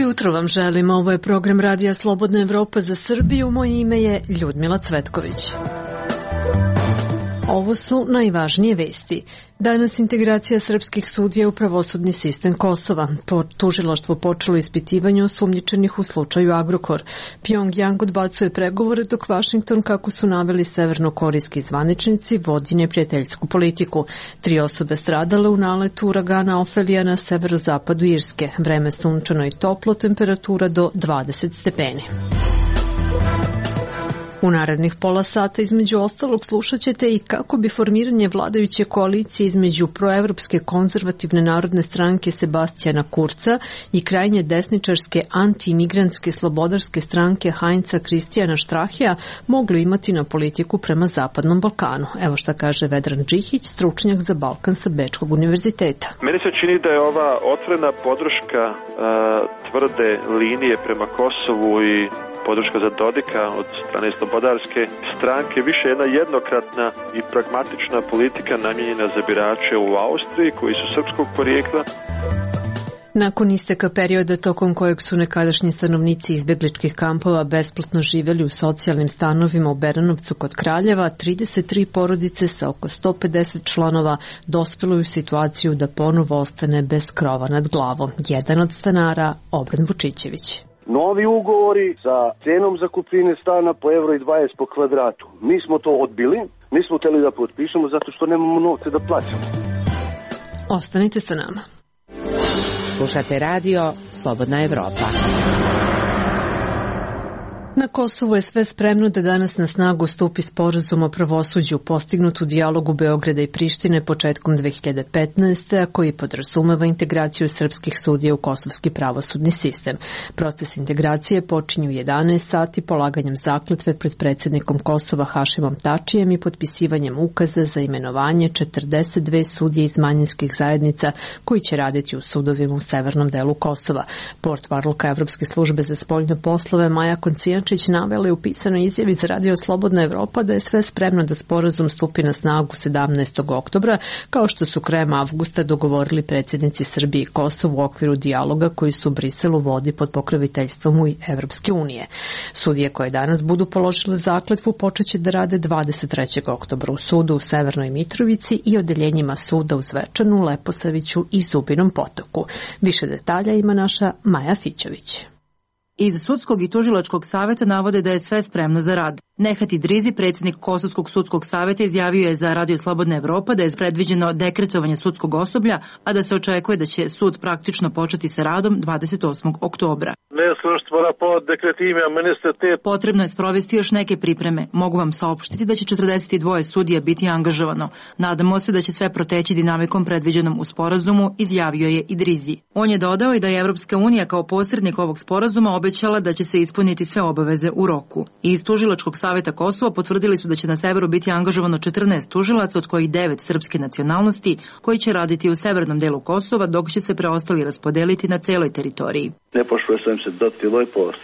jutro vam želim. Ovo je program Radija Slobodna Evropa za Srbiju. Moje ime je Ljudmila Cvetković. Ovo su najvažnije vesti. Danas integracija srpskih sudija u pravosudni sistem Kosova. Tužilaštvo počelo ispitivanje osumnjičenih u slučaju Agrokor. Pjongjang odbacuje pregovore, dok Vašington, kako su naveli severnokorejski zvaničnici, vodi neprijateljsku politiku. 3 osobe stradale u naletu uragana Ofelija na severozapadu Irske. Vreme sunčano i toplo, temperatura do 20 stepeni. U narednih pola sata između ostalog slušat ćete i kako bi formiranje vladajuće koalicije između proevropske konzervativne narodne stranke Sebastijana Kurca i krajnje desničarske anti-imigrantske slobodarske stranke Heinza Kristijana Štrahija mogli imati na politiku prema Zapadnom Balkanu. Evo šta kaže Vedran Džihić, stručnjak za Balkan sa Bečkog univerziteta. Meni se čini da je ova otvorena podrška tvrde linije prema Kosovu i podrška za Dodika od strane slobodarske stranke više jedna jednokratna i pragmatična politika namijenjena za birače u Austriji koji su srpskog porijekla. Nakon isteka perioda tokom kojeg su nekadašnji stanovnici izbegličkih kampova besplatno živjeli u socijalnim stanovima u Beranovcu kod Kraljeva, 33 porodice sa oko 150 članova dospelo u situaciju da ponovo ostane bez krova nad glavom. Jedan od stanara, Obran Vučićević. Novi ugovori sa cenom zakupnine stana po €1,20 po kvadratu. Mi smo to odbili, nismo hteli da potpišemo zato što nemamo novce da plaćamo. Ostanite sa nama. Slušate radio Slobodna Evropa. Na Kosovu je sve spremno da danas na snagu stupi sporazum o pravosuđu postignut u dijalogu Beograda i Prištine početkom 2015. a koji podrazumeva integraciju srpskih sudija u kosovski pravosudni sistem. Proces integracije počinje u 11 sati polaganjem zakletve pred predsjednikom Kosova Hašimom Tačijem i potpisivanjem ukaza za imenovanje 42 sudije iz manjinskih zajednica koji će raditi u sudovima u severnom delu Kosova. Portparolka Evropske službe za spoljne poslove Maja Koncijančić navela je u pisanoj izjavi za Radio Slobodna Evropa da je sve spremno da sporazum stupi na snagu 17. oktobra, kao što su krajem avgusta dogovorili predsjednici Srbije i Kosova u okviru dijaloga koji su u Briselu vodi pod pokroviteljstvom Evropske unije. Sudije koje danas budu položile zakletvu počeće da rade 23. oktobra u sudu u Severnoj Mitrovici i odeljenjima suda u Zvečanu, Leposaviću i Zubinom Potoku. Više detalja ima naša Maja Fićović. Iz Sudskog i tužilačkog saveta navode da je sve spremno za rad. Nehat Idrizi, predsjednik Kosovskog sudskog saveta, izjavio je za Radio Slobodna Evropa da je predviđeno dekretovanje sudskog osoblja, a da se očekuje da će sud praktično početi sa radom 28. oktobra. Potrebno je sprovesti još neke pripreme. Mogu vam saopštiti da će 42 sudija biti angažovano. Nadamo se da će sve proteći dinamikom predviđenom u sporazumu, izjavio je Idrizi. On je dodao i da je Evropska unija kao posrednik ovog sporazuma obećala da će se ispuniti sve obaveze u roku. Iz Tužilačkog saveta Kosova potvrdili su da će na severu biti angažovano 14 tužilaca, od kojih 9 srpske nacionalnosti, koji će raditi u severnom delu Kosova, dok će se preostali raspodeliti na celoj teritoriji.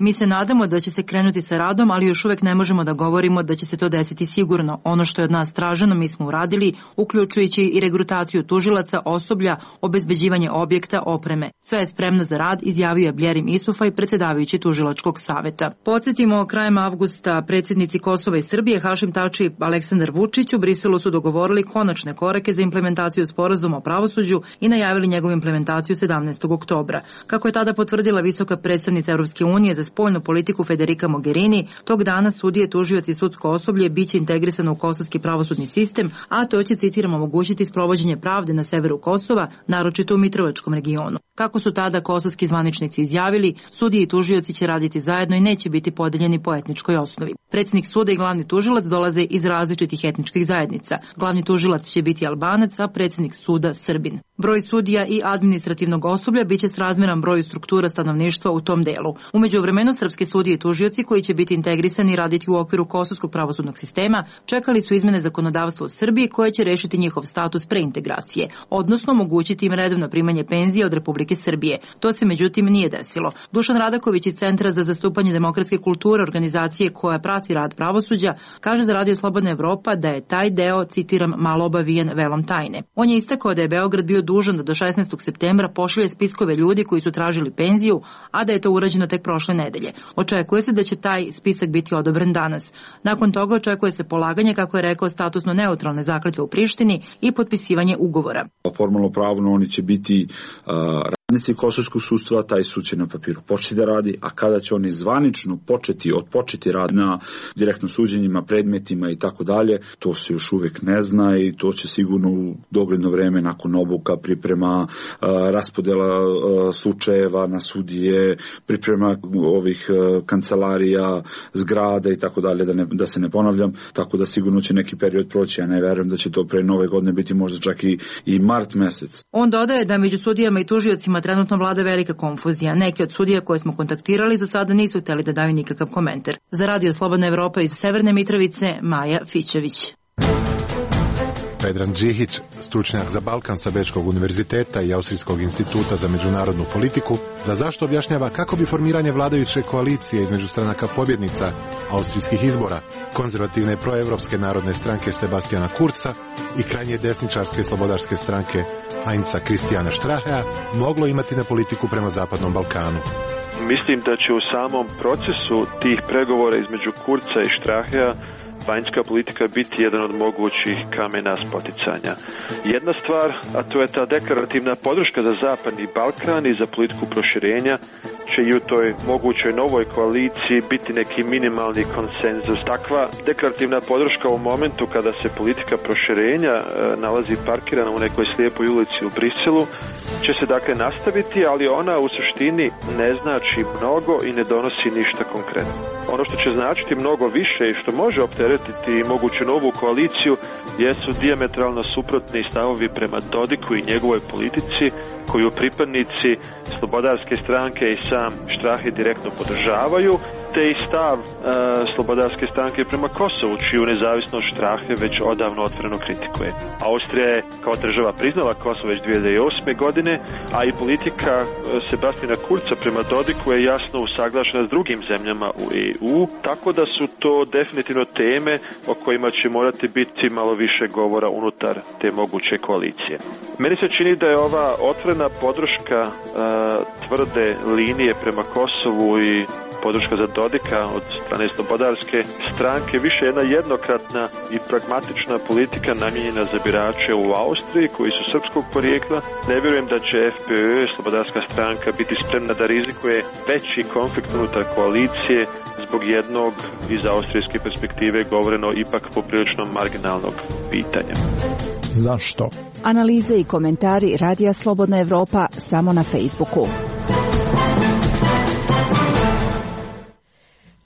Mi se nadamo da će se krenuti sa radom, ali još uvek ne možemo da govorimo da će se to desiti sigurno. Ono što je od nas traženo mi smo uradili, uključujući i regrutaciju tužilaca, osoblja, obezbeđivanje objekta, opreme. Sve je spremno za rad, izjavio je Bljerim Isufaj, predsjedavajući Tužilačkog saveta. Podsjetimo, krajem avgusta predsjednici Kosova i Srbije Hašim Tači i Aleksandar Vučić u Briselu su dogovorili konačne korake za implementaciju sporazuma o pravosuđu i najavili njegovu implementaciju 17. oktobra. Kako je tada potvrdila visoka predstavnica Evropske unije za spoljnu politiku Federica Mogherini, tog dana sudije, tužioci i sudsko osoblje biće integrisano u kosovski pravosudni sistem, a to će, citiramo, omogućiti sprovođenje pravde na severu Kosova, naročito u Mitrovačkom regionu. Kako su tada kosovski zvaničnici izjavili, sudije i tužioci će raditi zajedno i neće biti podeljeni po etničkoj osnovi. Predsjednik suda i glavni tužilac dolaze iz različitih etničkih zajednica. Glavni tužilac će biti Albanac, a predsjednik suda Srbin. Broj sudija i administrativnog osoblja biće srazmjeran broju struktura stanovništva u tom delu. U međuvremenu srpske sudije i tužioci koji će biti integrisani i raditi u okviru kosovskog pravosudnog sistema čekali su izmene zakonodavstva u Srbiji koje će rešiti njihov status preintegracije, odnosno omogućiti im redovno primanje penzije od Republike Srbije. To se međutim nije desilo. Dušan Radaković iz Centra za zastupanje demokratske kulture, organizacije koja prati rad rad pravosuđa, kaže za Radio Slobodna Evropa da je taj deo, citiram, malo obavijen velom tajne. On je istakao da je Beograd bio dužan da do 16. septembra pošalje spiskove ljudi koji su tražili penziju, a da je to urađeno tek prošle nedelje. Očekuje se da će taj spisak biti odobren danas. Nakon toga očekuje se polaganje, kako je rekao, statusno neutralne zakletve u Prištini i potpisivanje ugovora. Formalno pravno oni će biti radnici kosovskog sudstva, taj sud će na papiru početi da radi, a kada će oni zvanično odpočeti rad na direktno suđenjima, predmetima i tako dalje, to se još uvek ne zna i to će sigurno u dogledno vreme nakon obuka, priprema raspodela slučajeva na sudije, priprema ovih kancelarija, zgrada i tako dalje, da se ne ponavljam, tako da sigurno će neki period proći, ja ne verujem da će to pre nove godine biti možda čak i mart mesec. On dodaje da među sudijama i tužiocima trenutno vlada velika konfuzija. Neki od sudija koje smo kontaktirali za sada nisu hteli da daju nikakav komentar. Za Radio Slobodna Evropa iz Severne Mitrovice, Maja Fićević. Vedran Džihić, stručnjak za Balkan sa Bečkog univerziteta i Austrijskog instituta za međunarodnu politiku, za zašto objašnjava kako bi formiranje vladajuće koalicije između stranaka pobjednica austrijskih izbora, konzervativne proevropske narodne stranke Sebastijana Kurza i krajnje desničarske slobodarske stranke Heinza Christiana Strachea moglo imati na politiku prema Zapadnom Balkanu. Mislim da će u samom procesu tih pregovora između Kurza i Strachea vanjska politika biti jedan od mogućih kamena spoticanja. Jedna stvar, a to je ta deklarativna podrška za Zapadni Balkan i za politiku proširenja, će i u toj mogućoj novoj koaliciji biti neki minimalni konsenzus. Takva deklarativna podrška u momentu kada se politika proširenja nalazi parkirana u nekoj slijepoj ulici u Briselu, će se dakle nastaviti, ali ona u suštini ne znači mnogo i ne donosi ništa konkretno. Ono što će značiti mnogo više i što može opteretiti moguću novu koaliciju jesu dijametralno suprotni stavovi prema Dodiku i njegovoj politici, koju pripadnici slobodarske stranke i sam Strache direktno podržavaju, te i stav slobodarske stranke prema Kosovu, čiju nezavisnost Strache već odavno otvoreno kritikuje. Austrija je kao država priznala Kosovo već 2008. godine, a i politika Sebastijana Kurza prema Dodiku je jasno usaglašena s drugim zemljama u EU, tako da su to definitivno teme o kojima će morati biti malo više govora unutar te moguće koalicije. Meni se čini da je ova otvorena podrška tvrde linije prema Kosovu i podrška za Dodika od strane slobodarske stranke više jedna jednokratna i pragmatična politika namijenjena za birače u Austriji koji su srpskog porijekla. Ne vjerujem da će FPÖ, slobodarska stranka, biti spremna da rizikuje veći konflikt unutar koalicije zbog jednog iz austrijske perspektive govoreno ipak poprilično marginalnog pitanja. Zašto? Analize i komentari Radija Slobodna Evropa samo na Facebooku.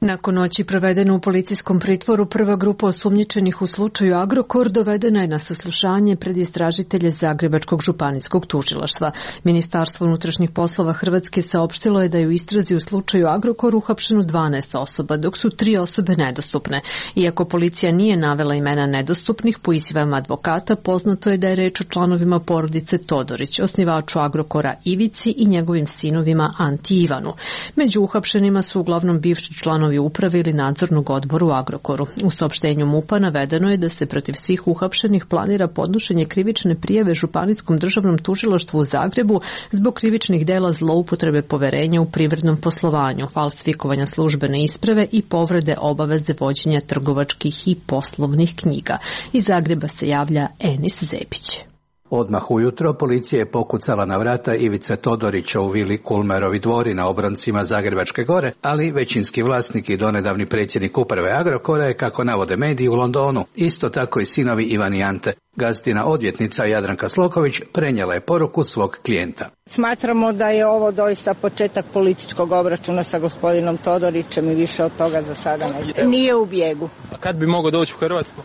Nakon noći provedene u policijskom pritvoru, prva grupa osumnjičenih u slučaju Agrokor dovedena je na saslušanje pred istražitelje Zagrebačkog županijskog tužilaštva. Ministarstvo unutrašnjih poslova Hrvatske saopštilo je da je u istrazi u slučaju Agrokor uhapšeno 12 osoba, dok su 3 osobe nedostupne. Iako policija nije navela imena nedostupnih, po izjavama advokata poznato je da je reč o članovima porodice Todorić, osnivaču Agrokora Ivici i njegovim sinovima Anti i Ivanu. Među uhapšenima su uglavnom bivši članovi uprave ili nadzornog odbora u Agrokoru. U saopštenju MUP-a navedeno je da se protiv svih uhapšenih planira podnošenje krivične prijave Županijskom državnom tužilaštvu u Zagrebu zbog krivičnih dela zloupotrebe poverenja u privrednom poslovanju, falsifikovanja službene isprave i povrede obaveze vođenja trgovačkih i poslovnih knjiga. Iz Zagreba se javlja Enis Zepić. Odmah ujutro policija je pokucala na vrata Ivice Todorića u vili Kulmerovi dvori na obroncima Zagrebačke gore, ali većinski vlasnik i donedavni predsjednik uprave Agrokora je, kako navode mediji, u Londonu. Isto tako i sinovi Ivan i Ante. Gazdina odvjetnica Jadranka Sloković prenijela je poruku svog klijenta. Smatramo da je ovo doista početak političkog obračuna sa gospodinom Todorićem i više od toga za sada nije u bijegu. A kad bi mogao doći u Hrvatsku?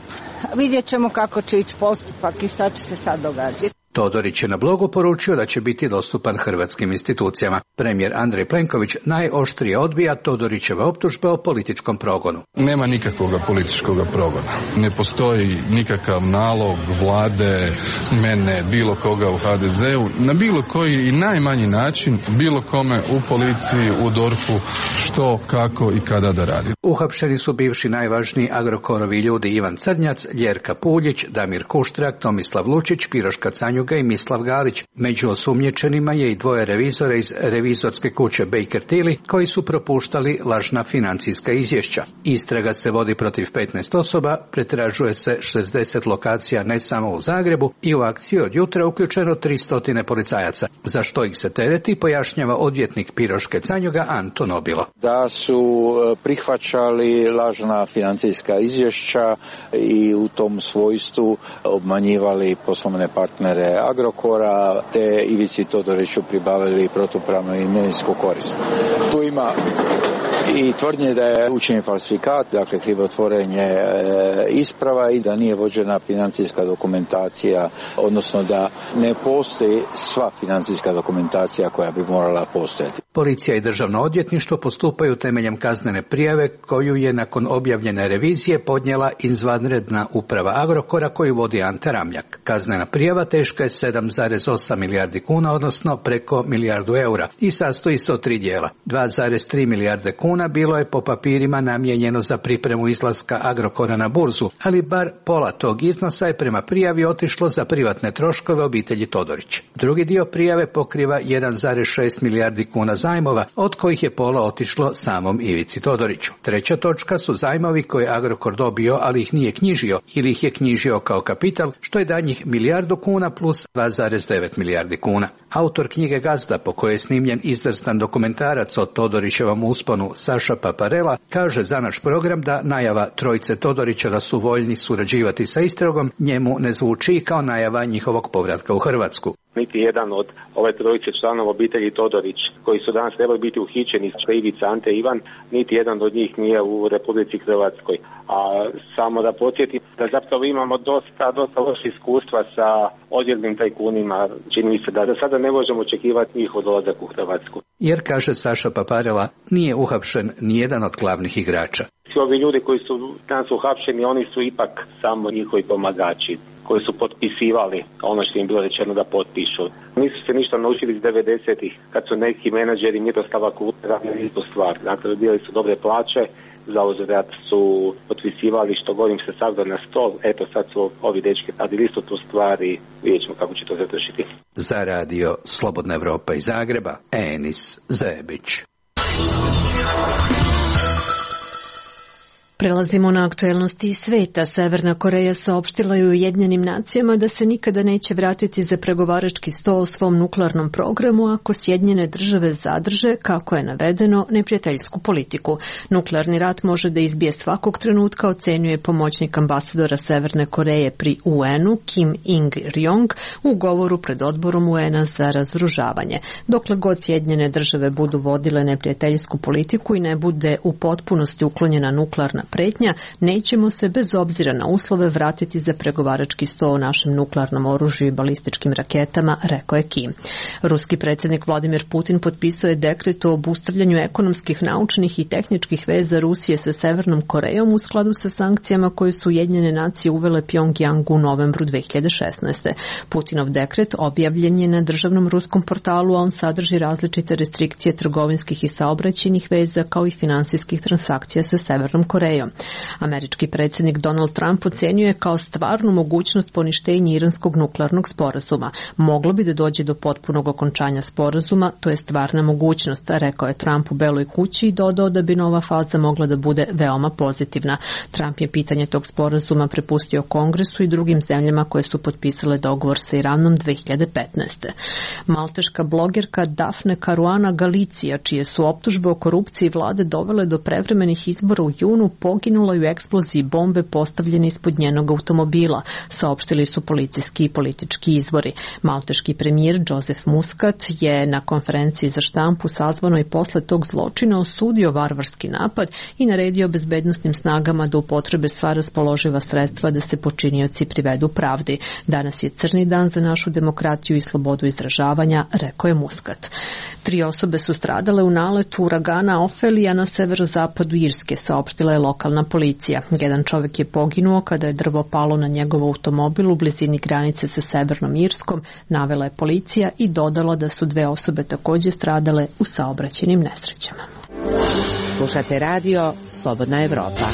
Vidjet ćemo kako će ići postupak i šta će se sad događati. Todorić je na blogu poručio da će biti dostupan hrvatskim institucijama. Premijer Andrej Plenković najoštrije odbija Todorićeve optužbe o političkom progonu. Nema nikakvog političkog progona. Ne postoji nikakav nalog vlade, mene, bilo koga u HDZ-u, na bilo koji i najmanji način, bilo kome u policiji, u DORH-u, što, kako i kada da radi. Uhapšeni su bivši najvažniji Agrokorovi ljudi Ivan Crnjac, Ljerka Puljić, Damir Kuštrak, Tomislav Lučić, Piroška Canjuga i Mislav Galić. Među osumnjičenima je i dvoje revizora iz revizorske kuće Baker Tilly koji su propuštali lažna financijska izvješća. Istraga se vodi protiv 15 osoba, pretražuje se 60 lokacija ne samo u Zagrebu i u akciji od jutra uključeno 300 policajaca. Za što ih se tereti pojašnjava odvjetnik Piroške Canjuga Anton Obilo. Da su prihvaćali lažna financijska izvješća i u tom svojstvu obmanjivali poslovne partnere Agrokora, te Ivici Todoriću pribavili protupravnu imovinsku korist. Tu ima i tvrdnje da je učinjen falsifikat, dakle krivotvorenje isprava i da nije vođena financijska dokumentacija, odnosno da ne postoji sva financijska dokumentacija koja bi morala postojati. Policija i državno odvjetništvo postupaju temeljem kaznene prijave koju je nakon objavljene revizije podnijela izvanredna uprava Agrokora koju vodi Ante Ramljak. Kaznena prijava teška je 7,8 milijardi kuna, odnosno preko milijardu eura i sastoji se od 3 dijela. 2,3 milijarde kuna bilo je po papirima namijenjeno za pripremu izlaska Agrokora na burzu, ali bar pola tog iznosa je prema prijavi otišlo za privatne troškove obitelji Todorić. Drugi dio prijave pokriva 1,6 milijardi kuna zajmova, od kojih je pola otišlo samom Ivici Todoriću. Treća točka su zajmovi koje Agrokor dobio, ali ih nije knjižio ili ih je knjižio kao kapital, što je danjih milijardu kuna plus 2,9 milijardi kuna. Autor knjige Gazda, po kojoj je snimljen izvrstan dokumentarac o Todorićevom usponu, Saša Paparela, kaže za naš program da najava trojice Todorića da su voljni surađivati sa istragom njemu ne zvuči kao najava njihovog povratka u Hrvatsku. Niti jedan od ove trojice članova obitelji Todorić, koji su danas trebali biti uhićeni, Ivica, Ante, Ivan, niti jedan od njih nije u Republici Hrvatskoj. A samo da podsjetim da zapravo imamo dosta loše iskustva sa odjevnim tajkunima. Čini mi se da do sada ne možemo očekivati njihov dolazak u Hrvatsku. Jer, kaže Saša Paparela, nije uhapšen nijedan od glavnih igrača. Svi ovi ljudi koji su danas uhapšeni, oni su ipak samo njihovi pomagači, koji su potpisivali ono što im bilo rečeno da potpišu. Nisu se ništa naučili iz 90-ih, kad su neki menadžeri Miroslava Kuta radili istu stvar. Dakle, dobili su dobre plaće, za uzvrat su potpisivali što govorim se savda na stol. Eto, sad su ovi dečki radili isto tu stvar i vidjet ćemo kako će to završiti. Za radio Slobodna Evropa iz Zagreba, Enis Zebić. Prelazimo na aktuelnosti iz sveta. Severna Koreja saopštila je Ujedinjenim nacijama da se nikada neće vratiti za pregovarački sto o svom nuklearnom programu ako Sjedinjene države zadrže, kako je navedeno, neprijateljsku politiku. Nuklearni rat može da izbije svakog trenutka, ocenjuje pomoćnik ambasadora Severne Koreje pri UN-u Kim Il-ryong u govoru pred odborom UN-a za razoružavanje. Dokle god Sjedinjene države budu vodile neprijateljsku politiku i ne bude u potpunosti uklonjena nuklearna pretnja, nećemo se bez obzira na uslove vratiti za pregovarački sto o našem nuklearnom oružju i balističkim raketama, rekao je Kim. Ruski predsjednik Vladimir Putin potpisao je dekret o obustavljanju ekonomskih, naučnih i tehničkih veza Rusije sa Severnom Korejom u skladu sa sankcijama koje su Ujedinjene nacije uvele Pjongjangu u novembru 2016. Putinov dekret objavljen je na državnom ruskom portalu, a on sadrži različite restrikcije trgovinskih i saobraćajnih veza kao i finansijskih transakcija sa Severnom Korejom. Američki predsjednik Donald Trump ocenjuje je kao stvarnu mogućnost poništenja iranskog nuklearnog sporazuma. Moglo bi da dođe do potpunog okončanja sporazuma, to je stvarna mogućnost, rekao je Trump u Beloj kući i dodao da bi nova faza mogla da bude veoma pozitivna. Trump je pitanje tog sporazuma prepustio Kongresu i drugim zemljama koje su potpisale dogovor sa Iranom 2015. Malteška blogerka Daphne Caruana Galizia, čije su optužbe o korupciji vlade dovele do prevremenih izbora u junu, poginula u eksploziji bombe postavljene ispod njenog automobila, saopštili su policijski i politički izvori. Malteški premijer Joseph Muscat je na konferenciji za štampu sazvanoj posle tog zločina osudio varvarski napad i naredio bezbednosnim snagama da upotrebe sva raspoloživa sredstva da se počinioci privedu pravdi. Danas je crni dan za našu demokratiju i slobodu izražavanja, rekao je Muscat. 3 osobe su stradale u naletu uragana Ofelija na severozapadu Irske, saopštila je lokalna policija. Jedan čovek je poginuo kada je drvo palo na njegov automobil u blizini granice sa Severnom Irskom, navela je policija i dodala da su 2 osobe takođe stradale u saobraćajnim nesrećama. Slušate radio Slobodna Evropa.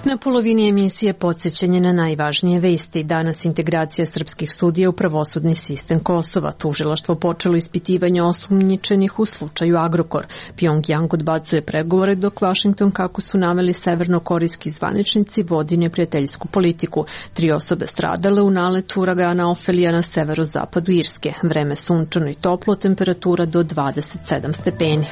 Na polovini emisije podsjećanje na najvažnije vesti. Danas integracija srpskih sudija u pravosudni sistem Kosova. Tužilaštvo počelo ispitivanje osumnjičenih u slučaju Agrokor. Pjongjang odbacuje pregovore dok Vašington, kako su naveli severnokorejski zvaničnici, vodi neprijateljsku politiku. 3 osobe stradale u naletu uragana Ofelija na severozapadu Irske. Vreme sunčano i toplo, temperatura do 27 stepeni.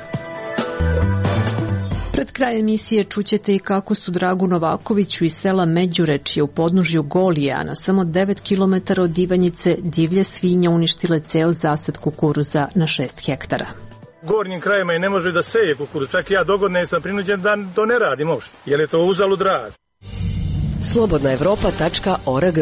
Pred kraj emisije čućete i kako su Dragu Novakoviću iz sela Međurečje u podnožju Golije, a na samo 9 km od Ivanjice, divlje svinja uništile ceo zasad kukuruza na 6 hektara. Gornjim krajima i ne može da seje kukuruz, čak ja dogodne sam prinuđen da to ne radim uopšte, jer je to uzalud rad. slobodnaevropa.org.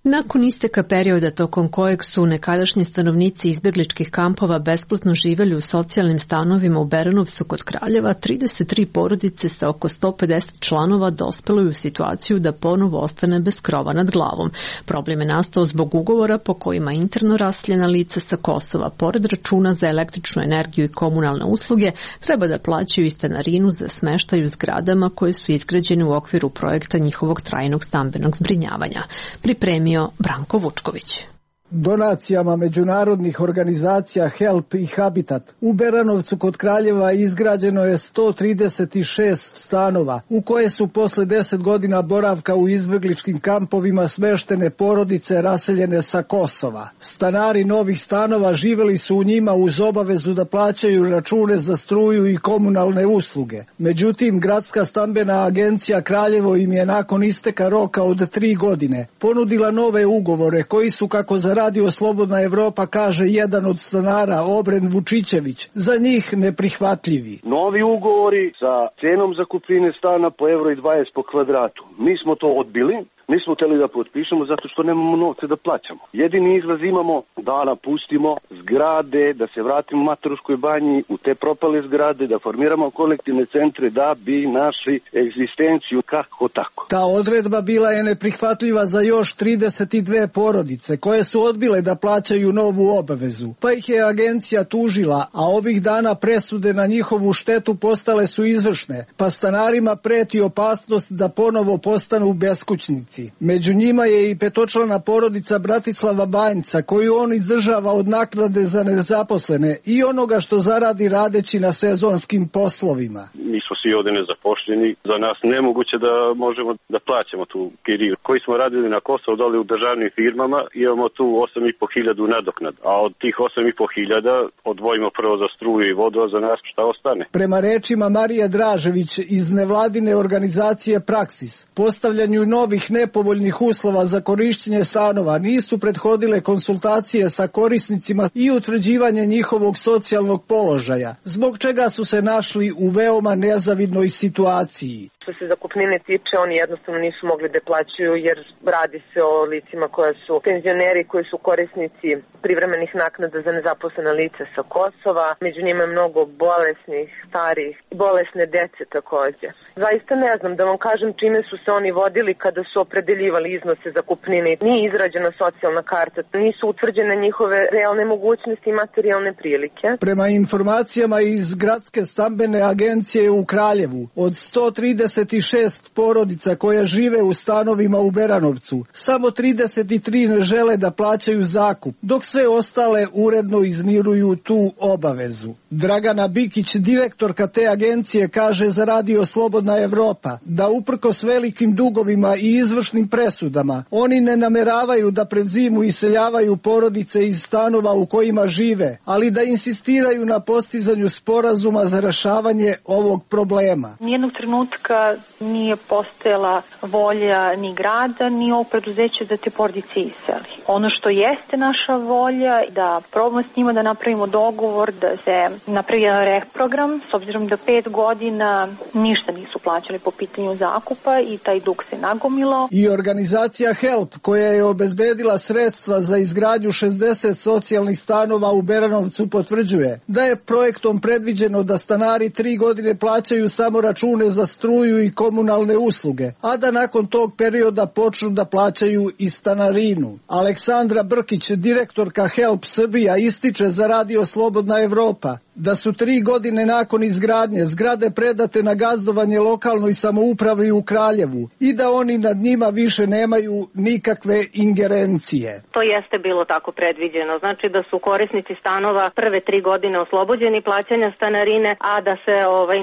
Nakon isteka perioda tokom kojeg su nekadašnji stanovnici izbegličkih kampova besplatno živeli u socijalnim stanovima u Beranovcu kod Kraljeva, 33 porodice sa oko 150 članova dospelo je u situaciju da ponovo ostane bez krova nad glavom. Problem je nastao zbog ugovora po kojima interno raseljena lica sa Kosova, pored računa za električnu energiju i komunalne usluge, treba da plaćaju i stanarinu za smeštaj u zgradama koje su izgrađene u okviru projekta njihovog trajnog stambenog zbrinjavanja. Pripremio Branko Vučković. Donacijama međunarodnih organizacija HELP i Habitat u Beranovcu kod Kraljeva izgrađeno je 136 stanova u koje su posle 10 godina boravka u izbegličkim kampovima smeštene porodice raseljene sa Kosova. Stanari novih stanova živeli su u njima uz obavezu da plaćaju račune za struju i komunalne usluge. Međutim, Gradska stambena agencija Kraljevo im je nakon isteka roka od 3 godine ponudila nove ugovore koji su, kako za Radio Slobodna Evropa kaže jedan od stanara, Obren Vučićević, za njih neprihvatljivi. Novi ugovori sa cenom zakupnine stana po €1,20 po kvadratu. Mi smo to odbili. Nismo hteli da potpišemo zato što nemamo novce da plaćamo. Jedini izlaz imamo da napustimo zgrade, da se vratimo Maturskoj banji u te propale zgrade, da formiramo kolektivne centre da bi našli egzistenciju kako tako. Ta odredba bila je neprihvatljiva za još 32 porodice koje su odbile da plaćaju novu obavezu. Pa ih je agencija tužila, a ovih dana presude na njihovu štetu postale su izvršne, pa stanarima preti opasnost da ponovo postanu beskućnici. Među njima je i 5-člana porodica Bratislava Banjca, koju on izdržava od naknade za nezaposlene i onoga što zaradi radeći na sezonskim poslovima. Mi smo svi ovdje nezaposleni, za nas nemoguće da možemo da plaćamo tu kiriju. Koji smo radili na Kosovu dole u državnim firmama, imamo tu 8.500 nadoknad, a od tih 8.500 odvojimo prvo za struju i vodu, a za nas šta ostane? Prema rečima Marije Dražević iz nevladine organizacije Praksis, postavljanju novih nepovoljnih uslova za korišćenje stanova nisu prethodile konsultacije sa korisnicima i utvrđivanje njihovog socijalnog položaja, zbog čega su se našli u veoma nezavidnoj situaciji. Što se zakupnine tiče, oni jednostavno nisu mogli da plaćaju jer radi se o licima koja su penzioneri, koji su korisnici privremenih naknada za nezaposlena lica sa Kosova. Među njima je mnogo bolesnih, starih, bolesne dece takođe. Zaista ne znam da vam kažem čime su se oni vodili kada su opredeljivali iznose zakupnine. Nije izrađena socijalna karta, nisu utvrđene njihove realne mogućnosti i materijalne prilike. Prema informacijama iz Gradske stambene agencije u Kraljevu, od 130 136 porodica koje žive u stanovima u Beranovcu. Samo 33 ne žele da plaćaju zakup, dok sve ostale uredno izmiruju tu obavezu. Dragana Bikić, direktorka te agencije, kaže za Radio Slobodna Evropa da uprkos velikim dugovima i izvršnim presudama, oni ne nameravaju da pred zimu iseljavaju porodice iz stanova u kojima žive, ali da insistiraju na postizanju sporazuma za rešavanje ovog problema. Nijednog trenutka nije postojala volja ni grada, ni ovog preduzeća da te porodice iseli. Ono što jeste naša volja, da probamo s njima da napravimo dogovor, da se napravi jedan reprogram, s obzirom da 5 godina ništa nisu plaćali po pitanju zakupa i taj dug se nagomilao. I organizacija HELP, koja je obezbedila sredstva za izgradnju 60 socijalnih stanova u Beranovcu, potvrđuje da je projektom predviđeno da stanari 3 godine plaćaju samo račune za struju i komunalne usluge, a da nakon tog perioda počnu da plaćaju i stanarinu. Aleksandra Brkić, direktorka HELP Srbija, ističe za Radio Slobodna Evropa da su 3 godine nakon izgradnje zgrade predate na gazdovanje lokalnoj samoupravi u Kraljevu i da oni nad njima više nemaju nikakve ingerencije. To jeste bilo tako predviđeno. Znači da su korisnici stanova prve 3 godine oslobođeni plaćanja stanarine, a da se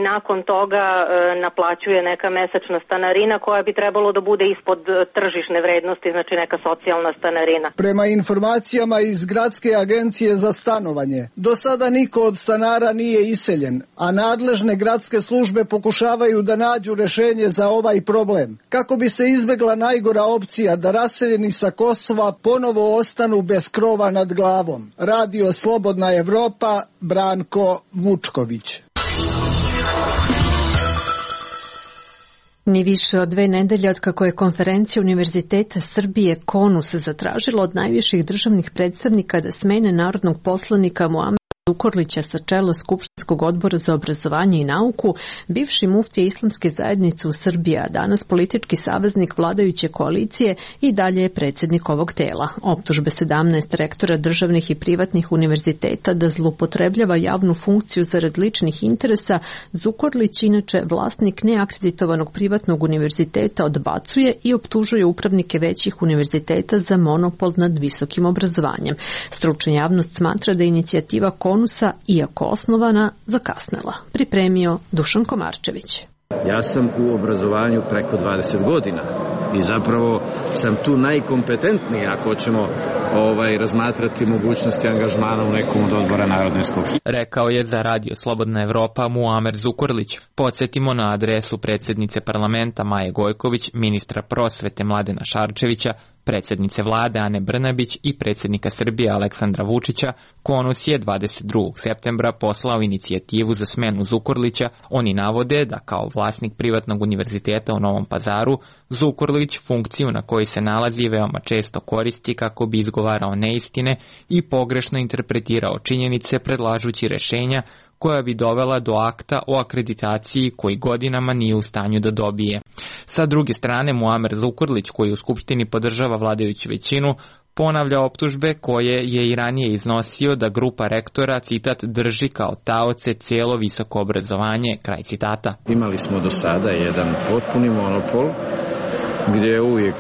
nakon toga naplaćuje neka mesečna stanarina koja bi trebalo da bude ispod tržišne vrednosti, znači neka socijalna stanarina. Prema informacijama iz Gradske agencije za stanovanje, do sada niko od stanara nije iseljen, a nadležne gradske službe pokušavaju da nađu rešenje za ovaj problem, kako bi se izbegla najgora opcija da raseljeni sa Kosova ponovo ostanu bez krova nad glavom. Radio Slobodna Evropa, Branko Vučković. Ni više od 2 nedelje od kako je konferencija Univerziteta Srbije KONUS zatražila od najviših državnih predstavnika da smene narodnog poslanika Muamera Zukorlića sa čela Skupštinskog odbora za obrazovanje i nauku, bivši muftija Islamske zajednice u Srbiji, a danas politički saveznik vladajuće koalicije, i dalje je predsjednik ovog tela. Optužbe 17 rektora državnih i privatnih univerziteta da zloupotrebljava javnu funkciju zarad ličnih interesa, Zukorlić, inače vlasnik neakreditovanog privatnog univerziteta, odbacuje i optužuje upravnike većih univerziteta za monopol nad visokim obrazovanjem. Stručna javnost smatra da je inicijativa KONUS-a, iako osnovana, zakasnela. Pripremio Dušan Komarčević. Ja sam u obrazovanju preko 20 godina i zapravo sam tu najkompetentniji ako ćemo razmatrati mogućnosti angažmana u nekom od odbora Narodne skupštine. Rekao je za Radio Slobodna Evropa Muamer Zukorlić. Podsjetimo na adresu predsjednice parlamenta Maje Gojković, ministra prosvete Mladena Šarčevića, predsjednice vlade Ane Brnabić i predsjednika Srbije Aleksandra Vučića. KONUS je 22. septembra poslao inicijativu za smenu Zukorlića. Oni navode da kao vlasnik privatnog univerziteta u Novom Pazaru, Zukorlić funkciju na kojoj se nalazi veoma često koristi kako bi izgovarao neistine i pogrešno interpretirao činjenice predlažući rešenja koja bi dovela do akta o akreditaciji koji godinama nije u stanju da dobije. Sa druge strane, Muamer Zukorlić, koji u Skupštini podržava vladajuću većinu, ponavlja optužbe koje je i ranije iznosio da grupa rektora, citat, drži kao taoce cijelo visoko obrazovanje, kraj citata. Imali smo do sada jedan potpuni monopol gdje je uvijek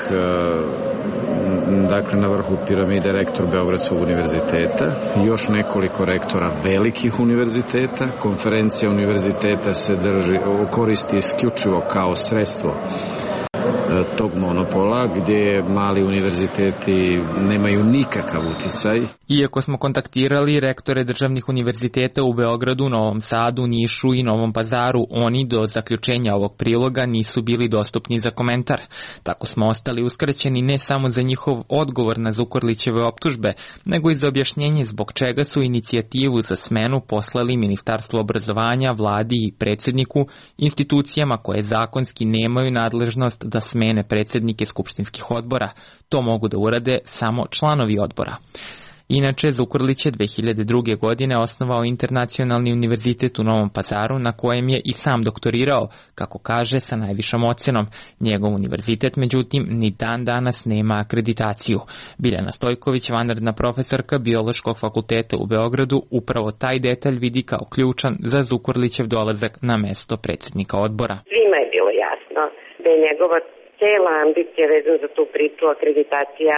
na vrhu piramide rektor Beogradskog univerziteta, još nekoliko rektora velikih univerziteta. Konferencija univerziteta se koristi isključivo kao sredstvo tog monopola, gdje mali univerziteti nemaju nikakav uticaj. Iako smo kontaktirali rektore državnih univerziteta u Beogradu, Novom Sadu, Nišu i Novom Pazaru, oni do zaključenja ovog priloga nisu bili dostupni za komentar. Tako smo ostali uskraćeni ne samo za njihov odgovor na Zukorlićeve optužbe, nego i za objašnjenje zbog čega su inicijativu za smenu poslali Ministarstvo obrazovanja, vladi i predsjedniku, institucijama koje zakonski nemaju nadležnost da smene predsjednike skupštinskih odbora. To mogu da urade samo članovi odbora. Inače, Zukorlić je 2002. godine osnovao Internacionalni univerzitet u Novom Pazaru, na kojem je i sam doktorirao, kako kaže, sa najvišom ocenom. Njegov univerzitet, međutim, ni dan danas nema akreditaciju. Biljana Stojković, vanredna profesorka Biološkog fakulteta u Beogradu, upravo taj detalj vidi kao ključan za Zukorlićev dolazak na mesto predsjednika odbora. Svima je bilo jasno je njegova cela ambicija vezana za tu priču akreditacija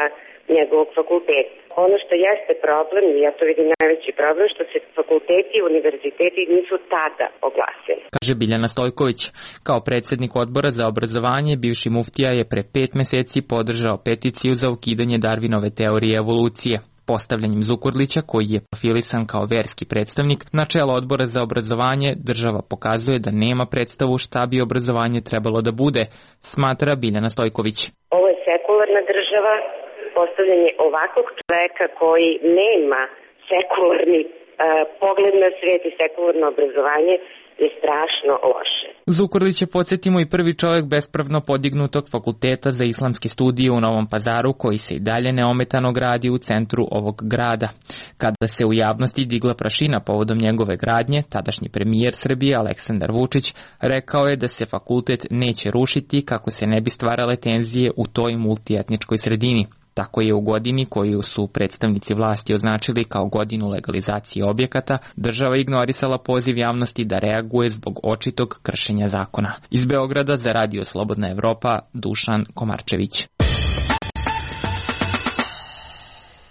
njegovog fakulteta. Ono što jeste problem, i ja to vidim najveći problem, što se fakulteti i univerziteti nisu tada oglasili. Kaže Biljana Stojković. Kao predsjednik odbora za obrazovanje, bivši muftija je pre 5 meseci podržao peticiju za ukidanje Darwinove teorije evolucije. Postavljanjem Zukorlića, koji je profilisan kao verski predstavnik, na čelo odbora za obrazovanje država pokazuje da nema predstavu šta bi obrazovanje trebalo da bude, smatra Biljana Stojković. Ovo je sekularna država, postavljanje ovakvog čoveka koji nema sekularni pogled na svijet i sekularno obrazovanje je strašno loše. Zukorlić je, podsjetimo, i prvi čovjek bespravno podignutog fakulteta za islamske studije u Novom Pazaru, koji se i dalje neometano gradi u centru ovog grada. Kada se u javnosti digla prašina povodom njegove gradnje, tadašnji premijer Srbije Aleksandar Vučić rekao je da se fakultet neće rušiti kako se ne bi stvarale tenzije u toj multietničkoj sredini. Tako je u godini koju su predstavnici vlasti označili kao godinu legalizacije objekata, država ignorisala poziv javnosti da reaguje zbog očitog kršenja zakona. Iz Beograda za Radio Slobodna Evropa, Dušan Komarčević.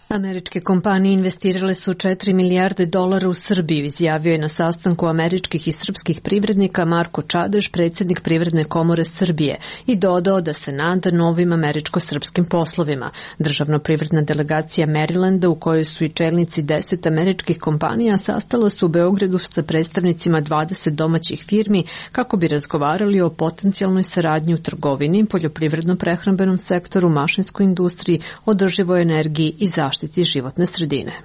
Američke kompanije investirale su $4 milijarde u Srbiju, izjavio je na sastanku američkih i srpskih privrednika Marko Čadež, predsjednik Privredne komore Srbije, i dodao da se nada novim američko-srpskim poslovima. Državno-privredna delegacija Marylanda, u kojoj su i čelnici 10 američkih kompanija, sastala su u Beogradu sa predstavnicima 20 domaćih firmi kako bi razgovarali o potencijalnoj saradnji u trgovini, poljoprivredno-prehrambenom sektoru, mašinskoj industriji, održivoj energiji i zaštiti životne sredine.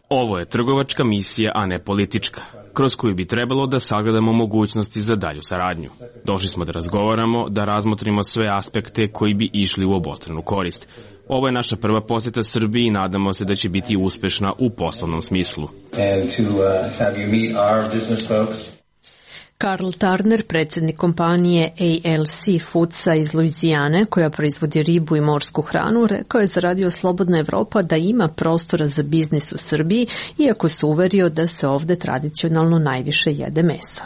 Ovo je trgovačka misija, a ne politička, kroz koju bi trebalo da sagledamo mogućnosti za dalju saradnju. Došli smo da razgovaramo, da razmotrimo sve aspekte koji bi išli u obostranu korist. Ovo je naša prva posjeta Srbiji i nadamo se da će biti uspešna u poslovnom smislu. Karl Turner, predsjednik kompanije ALC Foodsa iz Luizijane, koja proizvodi ribu i morsku hranu, rekao je za Radio Slobodna Evropa da ima prostora za biznis u Srbiji, iako se uverio da se ovde tradicionalno najviše jede meso.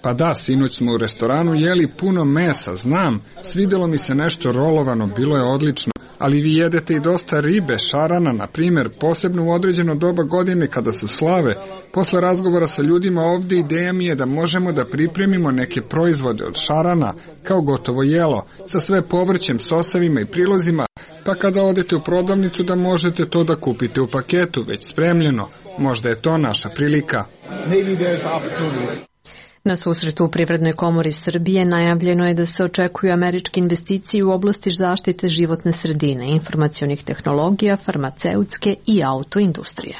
Pa da, sinoć smo u restoranu jeli puno mesa, znam, svidelo mi se nešto rolovano, bilo je odlično. Ali vi jedete i dosta ribe, šarana, na primjer, posebno u određeno doba godine kada su slave. Posle razgovora sa ljudima ovdje ideja mi je da možemo da pripremimo neke proizvode od šarana, kao gotovo jelo, sa sve povrćem, sosevima i prilozima, pa kada odete u prodavnicu da možete to da kupite u paketu, već spremljeno. Možda je to naša prilika. Na susretu u Privrednoj komori Srbije najavljeno je da se očekuju američke investicije u oblasti zaštite životne sredine, informacionih tehnologija, farmaceutske i autoindustrije.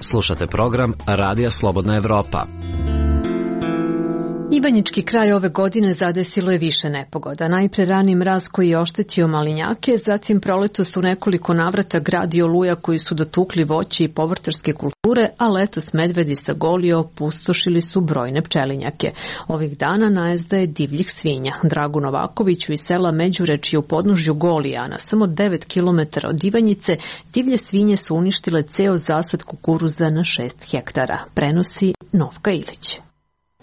Slušate program Radija Slobodna Evropa. Ivanjički kraj ove godine zadesilo je više nepogoda. Najpre rani mraz koji je oštetio malinjake, zatim proletos u nekoliko navrata grad i oluja koji su dotukli voće i povrtarske kulture, a letos medvedi sa Golije opustošili su brojne pčelinjake. Ovih dana najezda je divljih svinja. Dragu Novakoviću iz sela Međurečje u podnožju Golija, na samo 9 km od Ivanjice, divlje svinje su uništile ceo zasad kukuruza na 6 hektara. Prenosi Novka Ilić.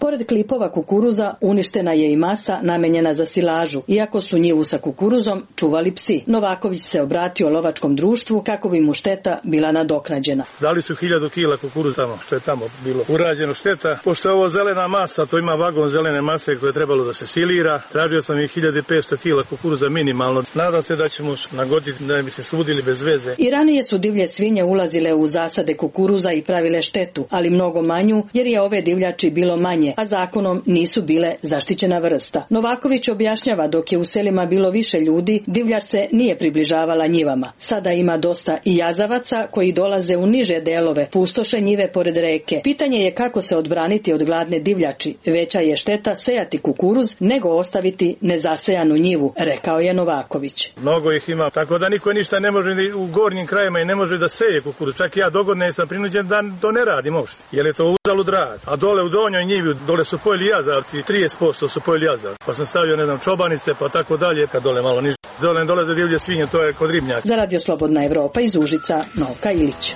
Pored klipova kukuruza uništena je i masa namenjena za silažu, iako su njivu sa kukuruzom čuvali psi. Novaković se obratio lovačkom društvu kako bi mu šteta bila nadoknađena. Dali su 1000 kila kukuruza tamo, što je tamo bilo urađeno šteta. Pošto je ovo zelena masa, to ima vagon zelene mase koje je trebalo da se silira. Tražio sam i 1500 kila kukuruza minimalno. Nadam se da ćemo nagoditi da bi se sudili bez veze. I ranije su divlje svinje ulazile u zasade kukuruza i pravile štetu, ali mnogo manju jer je ove divljači bilo manje, a zakonom nisu bile zaštićena vrsta. Novaković objašnjava dok je u selima bilo više ljudi, divljač se nije približavala njivama. Sada ima dosta i jazavaca koji dolaze u niže delove, pustoše njive pored reke. Pitanje je kako se odbraniti od gladne divljači. Veća je šteta sejati kukuruz nego ostaviti nezasejanu njivu, rekao je Novaković. Mnogo ih ima, tako da niko ništa ne može ni u gornjim krajima i ne može da seje kukuruz. Čak ja dogodne sam prinuđen da to ne radim uopšte, jer je to uzalud rad. A dole u donjoj njivi, dole su pojeli jazavci, 30% su pojeli jazavci. Pa sam stavio, čobanice, pa tako dalje, kad dole malo niže. Dole dolaze divlje svinje, to je kod ribnjaka. Za Radio Slobodna Evropa iz Užica, Novka Ilić.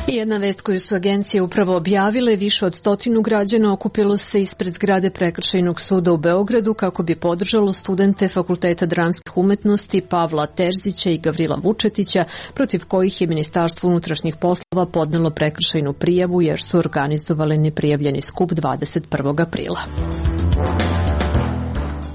I jedna vest koju su agencije upravo objavile, više od 100 građana okupilo se ispred zgrade Prekršajnog suda u Beogradu kako bi podržalo studente Fakulteta dramskih umetnosti Pavla Terzića i Gavrila Vučetića, protiv kojih je Ministarstvo unutrašnjih poslova podnelo prekršajnu prijavu jer su organizovali neprijavljeni skup 21. aprila.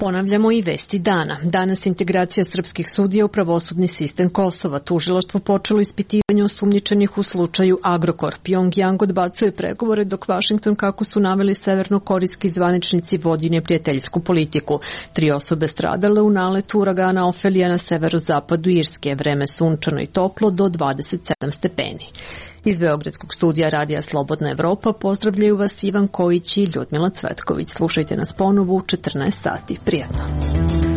Ponavljamo i vesti dana. Danas integracija srpskih sudija u pravosudni sistem Kosova. Tužilaštvo počelo ispitivanje osumnjičenih u slučaju Agrokor. Pyongyang odbacuje pregovore dok Vašington, kako su naveli severnokorejski zvaničnici, vodi neprijateljsku politiku. 3 osobe stradale u naletu uragana Ofelija na severozapadu Irske. Vreme sunčano i toplo do 27 stepeni. Iz Beogradskog studija Radija Slobodna Evropa pozdravljaju vas Ivan Kojić i Ljudmila Cvetković. Slušajte nas ponovo u 14 sati. Prijatno.